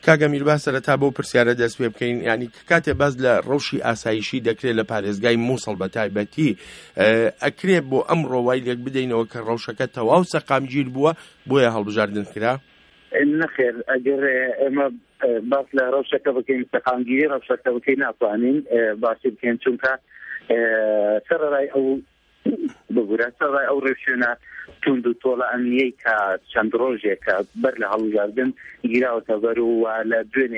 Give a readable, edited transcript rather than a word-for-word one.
کاک ئەمیر با سەرەتا بەو پرسیارە دەست پێ بکەین، یانی کاتێ باس لە ڕەوشی ئاسایشی دەکرێت لە پارێزگای مووسڵ بە تایبەتی، ئەکرێ بۆ ئەمڕۆ وای لێک بدەینەوە کە ڕەوشەکە تەواو سەقامگیر بووە بۆیە هەڵبژاردن کرا؟ نەخێر، ئەگەر ئێمە باس لە ڕەوشەکە بکەین، سەقامگیری ڕەوشەکە بکەین، ناتوانین باسی بکەین، چونکە سەرەڕای ئەو ببورە سەرەڕای ئەو ڕێوشوێنە توند و تۆڵە ئەمنیەی کە چەند ڕۆژێکە بەر لە هەڵبژاردن گیراوەتە بەر و لە دوێنێ.